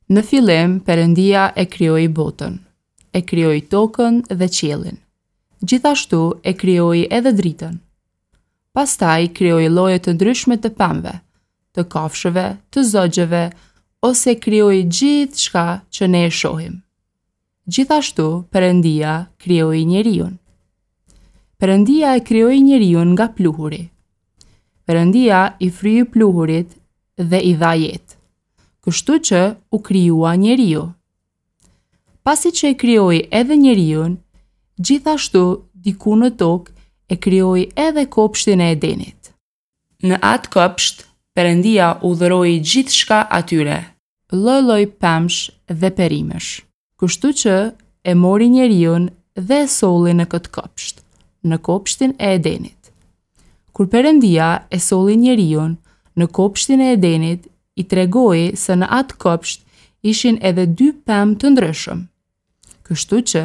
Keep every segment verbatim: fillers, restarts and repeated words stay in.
Në fillim Perëndia e krijoi botën. E krijoi tokën dhe qiellin. Gjithashtu e krijoi edhe dritën. Pastaj krijoi lloje të ndryshme të pemëve, të kafshëve, të zogjeve ose krijoi gjithçka që ne shohim. Gjithashtu Perëndia krijoi njeriun. Perëndia e krijoi njeriun nga pluhuri. Perëndia i fryu pluhurit dhe i dha jetë. Kështu që u krijua njeriu. Pasi që e krijoi edhe njeriun, gjithashtu diku në tokë e krijoi edhe kopshtin e Edenit. Në atë kopsht, Perëndia u dhuroi gjithçka atyre, lloj-lloj pemësh dhe perimesh. Kështu që e mori njeriun dhe e solli në këtë kopsht, në kopshtin e Edenit. Kur Perëndia e solli njeriun në kopshtin e Edenit, i tregoi se në atë kopsht ishin edhe dy pemë të ndryshëm. Kështu që,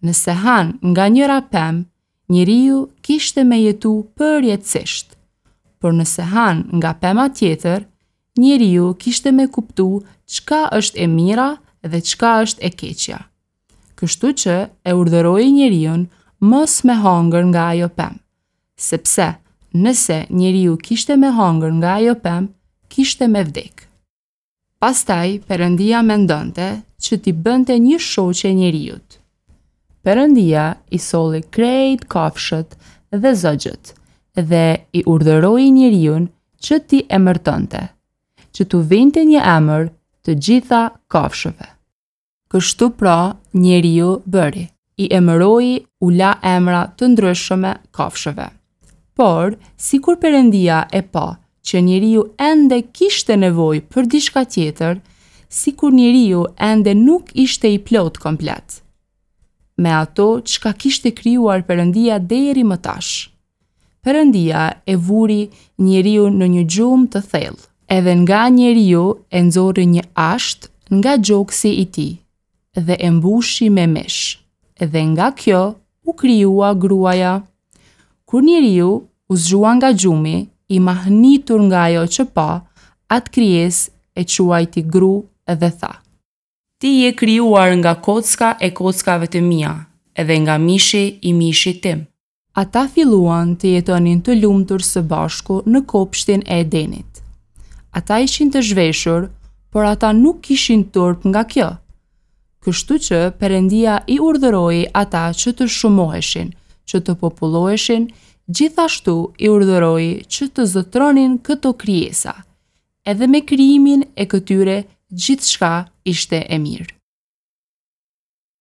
nëse han nga njëra pemë, njeriu kishte me jetu përjetësisht. Por nëse han nga pema tjetër, njeriu kishte me kuptu çka është e mira dhe çka është e keqja. Kështu që e urdhëroi njeriun mos me hangër nga ajo pemë, sepse nëse njeriu kishte me hangër nga ajo pemë, kishte me vdek. Pastaj Perëndia mendonte që t'i bënte një shoqe njeriut. Perëndia i solli krejt kafshët dhe zogjët dhe i urdhëroi njeriun që t'i emërtonte, që t'u vinte një emër të gjitha kafshëve. Kështu pra njeriu bëri, i emëroi u la emra të ndryshme kafshëve. Por, sikur Perëndia e pa që njeriu ende kishte nevojë për diçka tjetër, sikur njeriu ende nuk ishte i plot komplet. Me ato çka kishte krijuar Perëndia deri më tash. Perëndia e vuri njeriun në një gjumë të thellë. Edhe nga njeriu e nxori një asht nga gjoksi i tij dhe e mbushi me mish. Dhe nga kjo u krijua gruaja. Kur njeriu u zgjua nga gjumi, i mahnitur nga ajo që pa, atë krijesë e quajti gru dhe tha: Ti je krijuar nga kocka e kockave të mia edhe nga mishi i mishit tim. Ata filluan të jetonin të lumtur së bashku në kopshtin e Edenit. Ata ishin të zhveshur, por ata nuk kishin turp nga kjo. Kështu që Perëndia i urdhëroi ata që të shumoheshin, që të populloheshin, gjithashtu i urdhëroi që të zotëronin këto krijesa. Edhe me krijimin e këtyre gjithçka ishte e mirë.